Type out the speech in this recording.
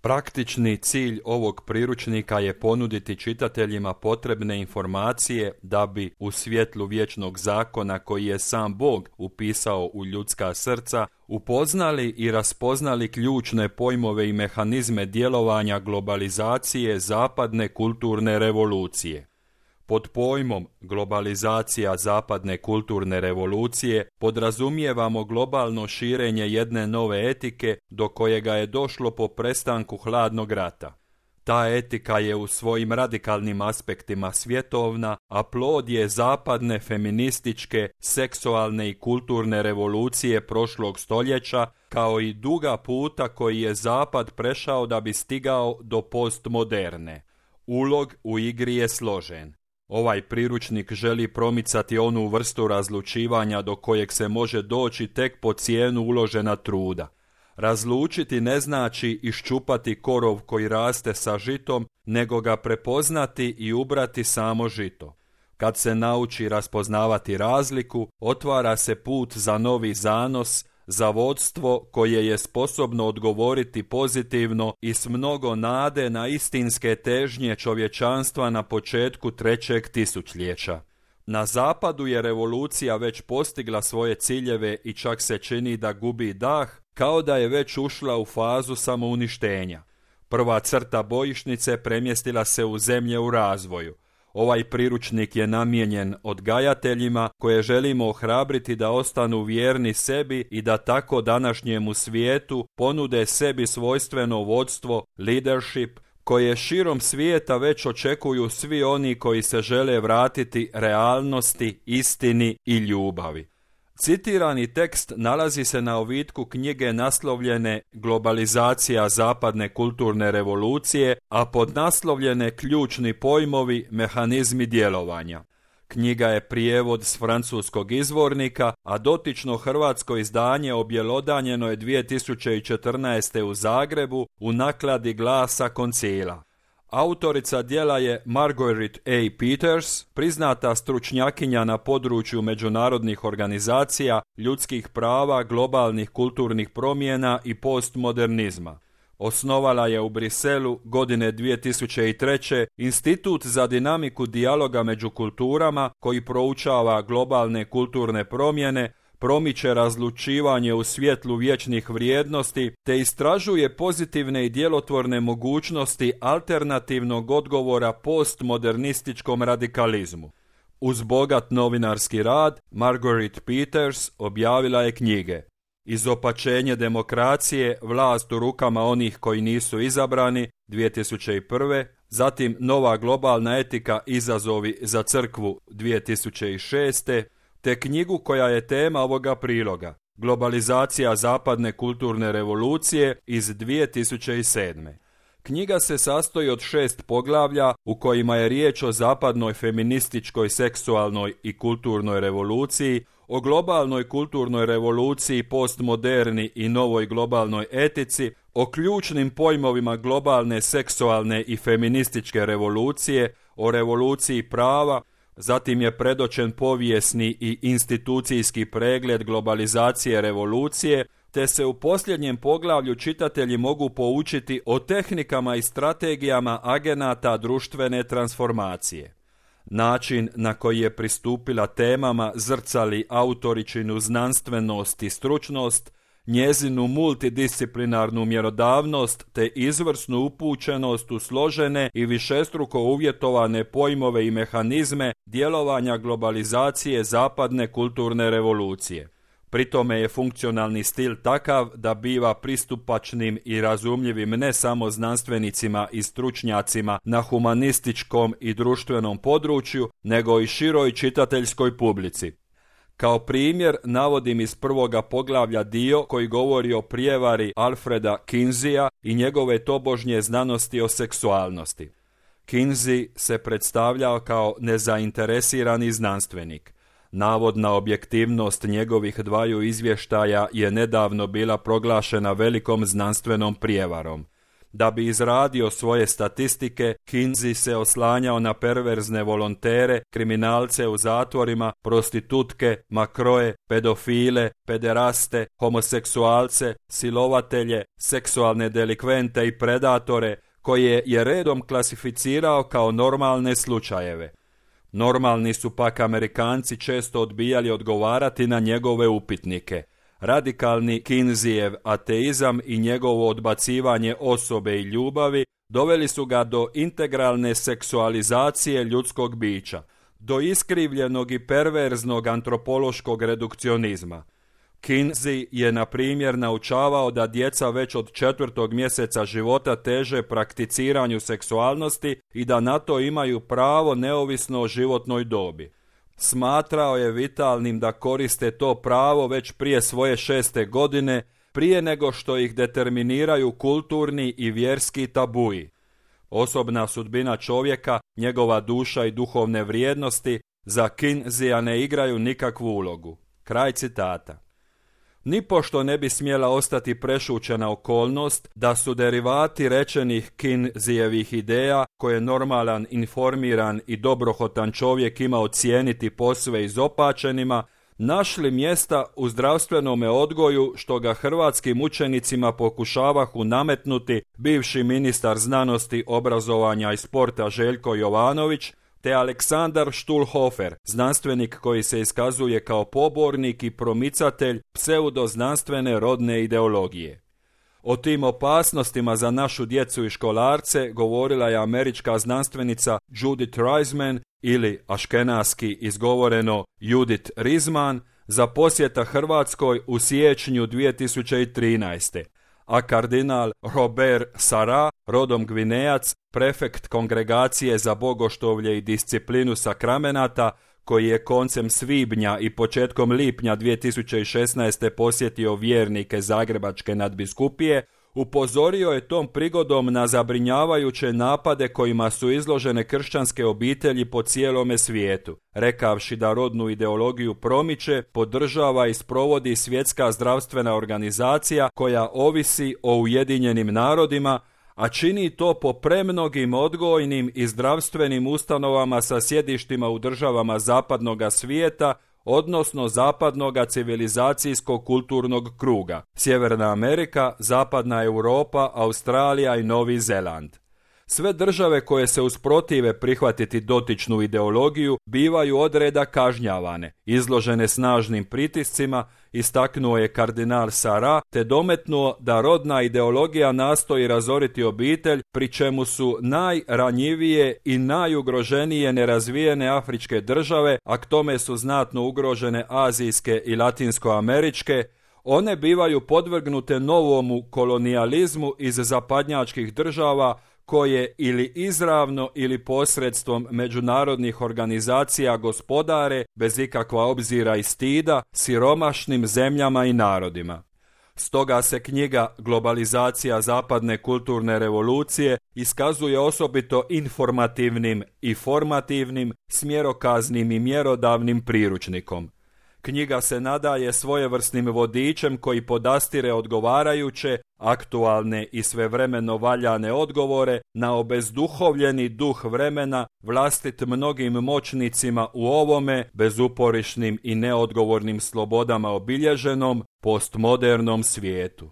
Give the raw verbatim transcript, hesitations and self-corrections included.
Praktični cilj ovog priručnika je ponuditi čitateljima potrebne informacije da bi u svjetlu vječnog zakona koji je sam Bog upisao u ljudska srca upoznali i raspoznali ključne pojmove i mehanizme djelovanja globalizacije zapadne kulturne revolucije. Pod pojmom globalizacija zapadne kulturne revolucije podrazumijevamo globalno širenje jedne nove etike do kojega je došlo po prestanku hladnog rata. Ta etika je u svojim radikalnim aspektima svjetovna, a plod je zapadne feminističke, seksualne i kulturne revolucije prošlog stoljeća, kao i duga puta koji je Zapad prešao da bi stigao do postmoderne. Ulog u igri je složen. Ovaj priručnik želi promicati onu vrstu razlučivanja do kojeg se može doći tek po cijenu uložena truda. Razlučiti ne znači iščupati korov koji raste sa žitom, nego ga prepoznati i ubrati samo žito. Kad se nauči raspoznavati razliku, otvara se put za novi zanos, za vodstvo koje je sposobno odgovoriti pozitivno i s mnogo nade na istinske težnje čovječanstva na početku trećeg tisućljeća. Na zapadu je revolucija već postigla svoje ciljeve i čak se čini da gubi dah, kao da je već ušla u fazu samouništenja. Prva crta bojišnice premjestila se u zemlje u razvoju. Ovaj priručnik je namijenjen odgajateljima koje želimo ohrabriti da ostanu vjerni sebi i da tako današnjemu svijetu ponude sebi svojstveno vodstvo, leadership, koje širom svijeta već očekuju svi oni koji se žele vratiti realnosti, istini i ljubavi. Citirani tekst nalazi se na ovitku knjige naslovljene Globalizacija zapadne kulturne revolucije, a podnaslovljene Ključni pojmovi, mehanizmi djelovanja. Knjiga je prijevod s francuskog izvornika, a dotično hrvatsko izdanje objelodanjeno je dvije tisuće četrnaeste. u Zagrebu u nakladi Glasa Koncila. Autorica djela je Margaret A. Peters, priznata stručnjakinja na području međunarodnih organizacija, ljudskih prava, globalnih kulturnih promjena i postmodernizma. Osnovala je u Briselu godine dvije tisuće treće. Institut za dinamiku dijaloga među kulturama koji proučava globalne kulturne promjene, promiče razlučivanje u svjetlu vječnih vrijednosti te istražuje pozitivne i djelotvorne mogućnosti alternativnog odgovora postmodernističkom radikalizmu. Uz bogat novinarski rad, Margaret Peters objavila je knjige Izopačenje demokracije, vlast u rukama onih koji nisu izabrani dvije tisuće prve. Zatim Nova globalna etika, izazovi za crkvu dvije tisuće šeste. te knjigu koja je tema ovoga priloga, Globalizacija zapadne kulturne revolucije iz dvije tisuće sedme. Knjiga se sastoji od šest poglavlja u kojima je riječ o zapadnoj feminističkoj, seksualnoj i kulturnoj revoluciji, o globalnoj kulturnoj revoluciji, postmoderni i novoj globalnoj etici, o ključnim pojmovima globalne, seksualne i feminističke revolucije, o revoluciji prava. Zatim je predočen povijesni i institucijski pregled globalizacije revolucije, te se u posljednjem poglavlju čitatelji mogu poučiti o tehnikama i strategijama agenata društvene transformacije. Način na koji je pristupila temama zrcali autoričinu znanstvenost i stručnost, njezinu multidisciplinarnu mjerodavnost te izvrsnu upućenost u složene i višestruko uvjetovane pojmove i mehanizme djelovanja globalizacije zapadne kulturne revolucije. Pri tome je funkcionalni stil takav da biva pristupačnim i razumljivim ne samo znanstvenicima i stručnjacima na humanističkom i društvenom području, nego i široj čitateljskoj publici. Kao primjer navodim iz prvoga poglavlja dio koji govori o prijevari Alfreda Kinseya i njegove tobožnje znanosti o seksualnosti. Kinsey se predstavljao kao nezainteresirani znanstvenik. Navodna objektivnost njegovih dvaju izvještaja je nedavno bila proglašena velikom znanstvenom prijevarom. Da bi izradio svoje statistike, Kinsey se oslanjao na perverzne volontere, kriminalce u zatvorima, prostitutke, makroe, pedofile, pederaste, homoseksualce, silovatelje, seksualne delikvente i predatore, koje je redom klasificirao kao normalne slučajeve. Normalni su pak Amerikanci često odbijali odgovarati na njegove upitnike. Radikalni Kinseyjev ateizam i njegovo odbacivanje osobe i ljubavi doveli su ga do integralne seksualizacije ljudskog bića, do iskrivljenog i perverznog antropološkog redukcionizma. Kinsey je, na primjer, naučavao da djeca već od četvrtog mjeseca života teže prakticiranju seksualnosti i da na to imaju pravo neovisno o životnoj dobi. Smatrao je vitalnim da koriste to pravo već prije svoje šeste godine, prije nego što ih determiniraju kulturni i vjerski tabuji. Osobna sudbina čovjeka, njegova duša i duhovne vrijednosti za Kinseya ne igraju nikakvu ulogu. Kraj citata. Nipošto ne bi smjela ostati prešućena okolnost da su derivati rečenih Kinseyjevih ideja, koje normalan, informiran i dobrohotan čovjek ima ocijeniti posve izopačenima, našli mjesta u zdravstvenome odgoju što ga hrvatskim učenicima pokušavahu nametnuti bivši ministar znanosti, obrazovanja i sporta Željko Jovanović, te Aleksandar Štulhofer, znanstvenik koji se iskazuje kao pobornik i promicatelj pseudoznanstvene rodne ideologije. O tim opasnostima za našu djecu i školarce govorila je američka znanstvenica Judith Reisman ili aškenaski izgovoreno Judith Rizman za posjeta Hrvatskoj u siječnju dvije tisuće trinaeste. A kardinal Robert Sarah, rodom Gvinejac, prefekt Kongregacije za bogoštovlje i disciplinu sakramenata, koji je koncem svibnja i početkom lipnja dvije tisuće šesnaeste posjetio vjernike Zagrebačke nadbiskupije, upozorio je tom prigodom na zabrinjavajuće napade kojima su izložene kršćanske obitelji po cijelome svijetu, rekavši da rodnu ideologiju promiče, podržava i sprovodi Svjetska zdravstvena organizacija koja ovisi o Ujedinjenim narodima, a čini to po premnogim odgojnim i zdravstvenim ustanovama sa sjedištima u državama zapadnoga svijeta, odnosno zapadnoga civilizacijskog kulturnog kruga, Sjeverna Amerika, Zapadna Europa, Australija i Novi Zeland. Sve države koje se usprotive prihvatiti dotičnu ideologiju bivaju odreda kažnjavane, izložene snažnim pritiscima, istaknuo je kardinal Sarah, te dometnuo da rodna ideologija nastoji razoriti obitelj, pri čemu su najranjivije i najugroženije nerazvijene afričke države, a k tome su znatno ugrožene azijske i latinskoameričke. One bivaju podvrgnute novomu kolonijalizmu iz zapadnjačkih država, koje ili izravno ili posredstvom međunarodnih organizacija gospodare, bez ikakva obzira i stida, siromašnim zemljama i narodima. Stoga se knjiga Globalizacija zapadne kulturne revolucije iskazuje osobito informativnim i formativnim, smjerokaznim i mjerodavnim priručnikom. Knjiga se nadaje svojevrsnim vodičem koji podastire odgovarajuće, aktualne i svevremeno valjane odgovore na obezduhovljeni duh vremena vlastit mnogim moćnicima u ovome bezuporišnim i neodgovornim slobodama obilježenom postmodernom svijetu.